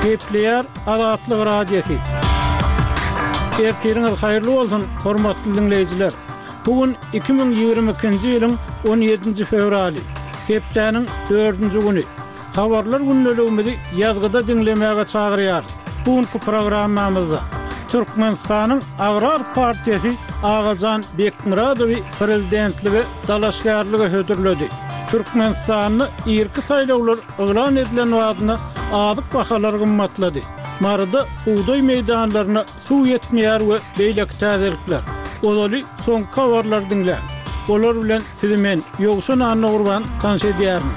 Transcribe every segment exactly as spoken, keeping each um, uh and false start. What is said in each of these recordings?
Gepleýär Azatlyk Radiosy. Ertiriňiz haýyrly bolsun, hormatly diňleýjiler! Bu gün iki müň ýigrimi ikinji ýylyň on ýedinji fewraly, hepdäniň dördünji güni. Habarlar gündeligimizi ýazgyda diňlemäge çagyrýarys. Bu günki programmamyzda Türkmenistanyň Agrar partiýasy Agajan Bekmyradowy prezidentlige dalaşgärlige hödürledi. Türkmenistanda irki saýlawlar yglan edilen badyna azyk bahalary gymmatlady. Maryda bugdaý meýdanlaryna suw ýetmeýär we beýleki täzelikler. Ozaly soňky habarlary diňläň. Olar bilen sizi men, Ýowşan Annagurban tanyş edýärin.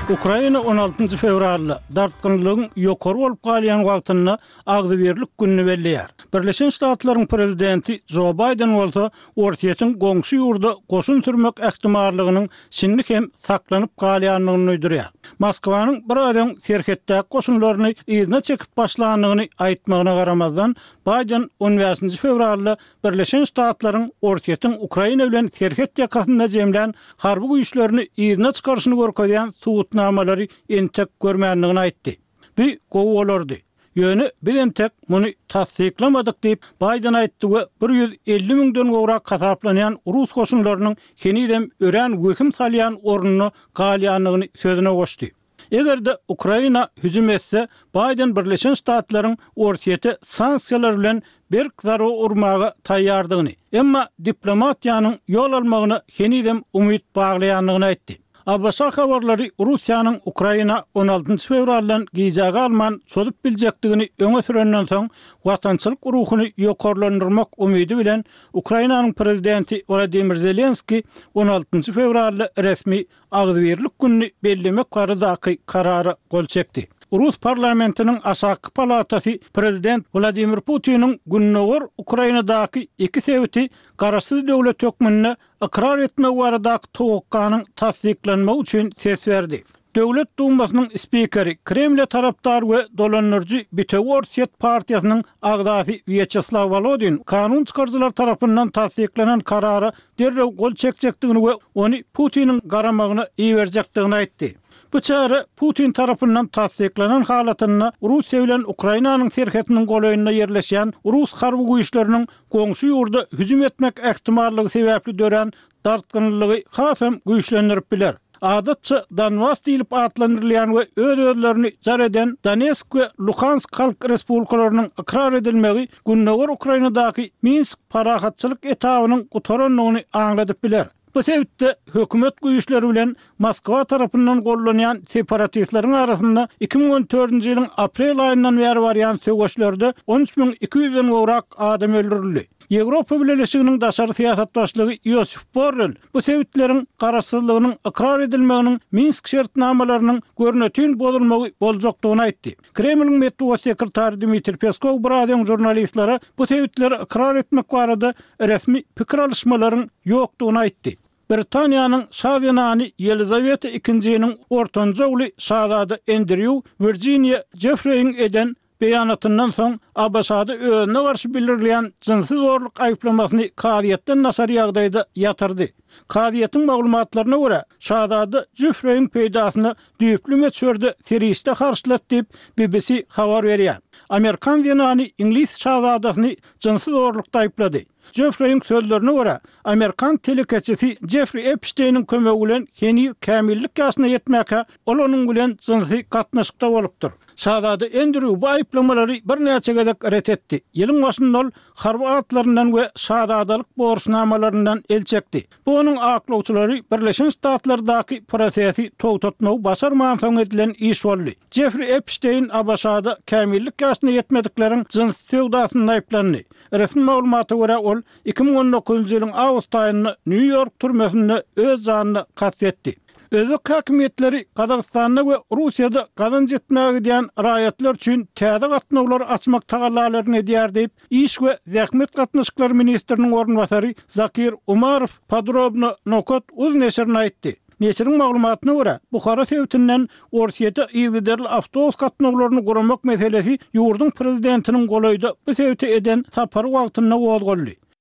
Ukraina on altynjy fewralda dartgynlygyň ýokary bolup galýan wagtynda agzybirlik gününi belleýär. Birleşen Ştatlaryň prezidenti Jo Baýden bolsa Orsýetiň goňşy ýurda goşun sürmek ähtimallygynyň şindi hem saklanyp galýandygyny duýdurýar. Moskwanyň biraz öň serhetdäki goşunlaryny yzyna çekip başlandygyny aýtmagyna garamazdan, Baýden on bäşinji fewralda Birleşen Ştatlaryň Orsýetiň Ukraina bilen serhet ýakasynda jemlän harby güýçlerini yzyna çykaryşyny görkezýän subutnamalary entek görmändigini aýtdy. Bu gowy bolardy. Ýöne biz entek muny tassyklamadyk diýip, Baýden aýtdy we bir ýüz elli müňden gowrak hasaplanýan rus goşunlarynyň henizem örän wehim salýan ornuna galýandygyny sözüne goşdy. Eger-de Ukraina hüjüm etse, Baýden Birleşen Ştatlaryň Orsýete sanksiýalar bilen berk zarba urmaga taýýardygyny, emma diplomatiýanyň ýol almagyna henizem umyt baglaýandygyny aýtdy. A B Ş habarlary Russiýanyň Ukraina on altynjy fewraldan gijä galman çozup biljekdigini öňe sürenden soň, watançylyk ruhuny ýokarlandyrmak umydy bilen Ukrainanyň prezidenti Wladimir Zelenskiý on altynjy fewralda resmi agzybirlik gününi bellemek baradaky karara gol çekdi. Rus parlamentiniň aşaky palatasy prezident Wladimir Putiniň Gündogar Ukrainadaky iki sebiti garaşsyz döwlet hökmünde ykrar etmek baradaky towakganyň tassyklanmagy üçin ses berdi. Döwlet Dumasynyň spikeri, Kremle tarapdar we dolandyryjy Bitewi Orsýet partiýasynyň agzasy Wýaçeslaw Wolodin kanun çykaryjylar tarapyndan tassyklanan karara derrew gol çekjekdigini we ony Putiniň garamagyna iberjekdigini aýtdy. Bu çäre Putin tarapyndan tassyklanan halatynda Russiýa bilen Ukrainanyň serhetiniň golaýynda ýerleşýän rus harby güýçleriniň goňşy ýurda hüjüm etmek ähtimallygy sebäpli dörän dartgynlygy hasam güýçlendirip biler. Adatça Donbas diýlip atlandyrylýan we öz-özlerini jar eden Donetsk we Luhansk halk respublikalarynyň ykrar edilmegi Gündogar Ukrainadaky Minsk parahatçylyk etabynyň gutarandygyny aňladyp biler. Bu sebitde hökümet güýçleri bilen Moskwa tarapyndan gollanýan separatistleriň arasynda iki müň on dördünji ýylyň aprel aýyndan bäri barýan söweşlerde on üç müň iki ýüzden gowrak adam öldürildi. Ýewropa Bileleşiginiň daşary syýasat başlygy Josep Borrell bu sebitleriň garaşsyzlygynyň ykrar edilmeginiň Minsk şertnamalarynyň görnetin bozulmagy boljakdygyny aýtdy. Kremliň metbugat sekretary Dmitriý Peskow biraz öň žurnalistlere bu sebitleri ykrar etmek barada resmi pikir alyşmalaryň ýokdugyny aýtdy. Britaniýanyň şa zenany Ýelizaweta ikinjiniň ortanjy ogly şazada Endrýu Wirjiniýa Jeffreýiň eden beýanatyndan soň A B Ş-da özüne garşy bildirilýän jynsy zorluk aýyplamasyny kazyýetden daşary ýagdaýda ýatyrdy. Kazyýetiň maglumatlaryna görä, şazada Jeffreýiň peýdasyna düýpli möçberde serişde harçlat diýip B B C habar berýär. Amerikan zenany iňlis şazadasyny jynsy zorlukda aýyplady. Jeffreýiň sözlerine görä, Amerikan telekeçisi Jeffrey Epsteiniň kömegi bilen heniz kämillik ýaşyna ýetmäkä ol onuň bilen jynsy gatnaşykda bolupdyr. Şazada Endrýu bu aýyplamalary birnäçe gezek ret etdi. Ýylyň başynda ol harby atlaryndan we şazadalyk borçnamalaryndan el çekdi. Bu onuň aklawçylary Birleşen Ştatlardaky prosesi togtatmagy başarman soň edilen iş boldy. Jeffrey Epstein A B Ş-da kämillik ýaşyna ýetmedikleriň jyns söwdasynda aýyplandy. Resmi maglumata görä ol iki müň on dokuzynjy ýylyň awgust aýynda Nýu-Ýork türmesinde öz janyna kast etdi. Özbek häkimiýetleri Gazagystanda we Russiýada gazanç etmäge gidýän raýatlar üçin täze gatnawlar açmak tagallalaryny edýär diýip, Iş we zähmet gatnaşyklary ministriniň orunbasary Zakir Umarow podrobno nokat uz neşirine aýtdy. Neşiriň maglumatyna görä, Buhara sebitinden Orsýete yzygiderli awtobus gatnawlaryny guramak meselesi ýurduň prezidentiniň golaýda bu sebite eden sapary wagtynda gozgaldy.